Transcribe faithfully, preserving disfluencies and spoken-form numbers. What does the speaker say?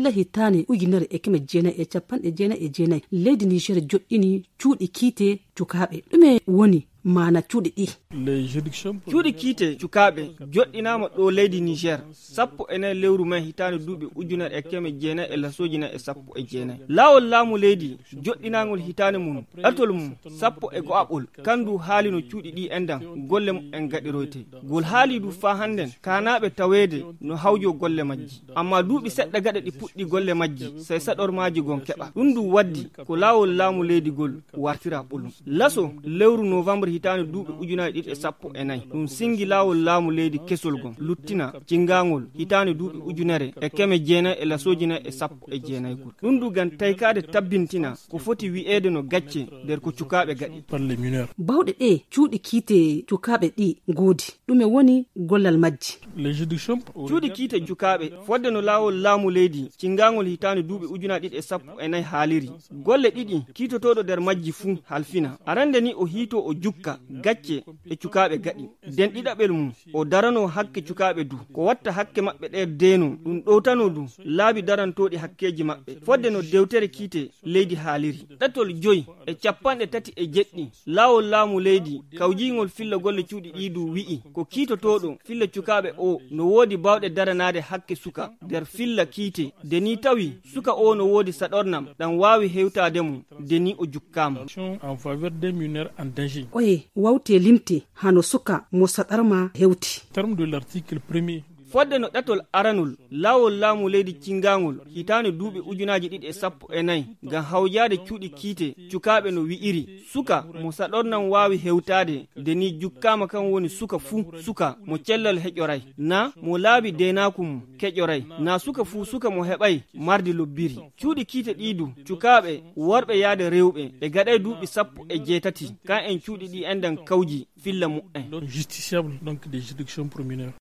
Hitaande ujunere e keme jeenayi e capanɗe jeenayi e jeenayi, leydi Niger joɗɗini cuuɗi kiite cukaaɓe. Ɗume woni maana cuuɗi ɗi? Cuuɗi kiite cukaaɓe joɗɗinaama ɗo leydi Niger, sappo e nayi lewru mai hitaande duuɓi ujunere e keme jeenayi e lasooji nayi e sappo e jeenayi. Laawol laamu leydi joɗɗinaangol hitaande mum, ɗatol mum, sappo e go'aɓol, kandu haali no cuuɗi ɗi endan golle mum en gaɗiroyte. Ngol haali du faa hannden kaanaaɓe taweede no hawjo golle majji. Amma duuɓi seɗɗa gaɗa ɗi puɗɗi golle majji, sai saɗormaaji gon keɓa. Ɗum du waddi ko laawol laamu leydi gol wartira ɓolum. Laso lewru novembre hitaande duuɓi ujunaaji ɗiɗi e sappo e nayi, ɗum singi laawol laamu leydi kesol gon, luttina cingaangol hitaande duuɓi ujunere e keme jeenayi e lasooji nayi e sappo e jeenayi gol. Ɗum du ngam taykaade tabbintina ko foti wi'eede no gacce nder ko cukaaɓe gaɗi. Bawɗe ɗe cuuɗi kiite cukaaɓe ɗi ngoodi, ɗume woni gollal majji? Cuuɗi kiite cukaaɓe, fodde no laawol laamu leydi cingaangol hitaande duuɓi ujunaaji ɗiɗi e sappo e nayi haaliri, golle ɗiɗi kiitotooɗo nder majji fuu halfina. Arande ni o hiito o jukka gacce ɗe cukaaɓe gaɗi. Den ɗiɗaɓel mum, o darano hakke cukaaɓe du. Ko watta hakke maɓɓe ɗe deeno, ɗum ɗowtano du laabi darantooɗi hakkeeji maɓɓe. Fodde no dewtere kiite leydi haaliri. Ɗatol joy e capanɗe tati e jeɗɗi, laawol laamu leydi kawjiingol filla golle cuuɗi ɗi du wi'i, ko kiitotooɗo filla cukaaɓe o no woodi baawɗe daranaade hakke suka nder filla kiite, de ni tawi suka o no woodi saɗornam ɗam waawi hewtaade mo, de ni o jukkaama. En faveur des mineurs en danger. Oye wawte limte hano suka mo saɗarma hewti. Terme de l'article premier. Fodde no ɗatol aranol, laawol laamu leydi cingaangol hitaande duuɓi ujunaaji ɗiɗi e sappo e nayi ngam hawjaade cuuɗi kiite cukaaɓe no wi'iri, suka mo saɗornam waawi hewtaade, de ni jukkaama kan woni suka fuu suka mo cellal heƴoray, na mo laabi deenaaku mum keƴoray, na suka fuu suka mo heɓay mardi lobbiri. Cuuɗi kiite ɗi du, cukaaɓe, worɓe yaade rewɓe, ɓe gaɗay duuɓi sappo e jeetati, kan en cuuɗi ɗi endan kawji filla mu'en. Donc, justiciable, donc, des juridictions pour mineurs.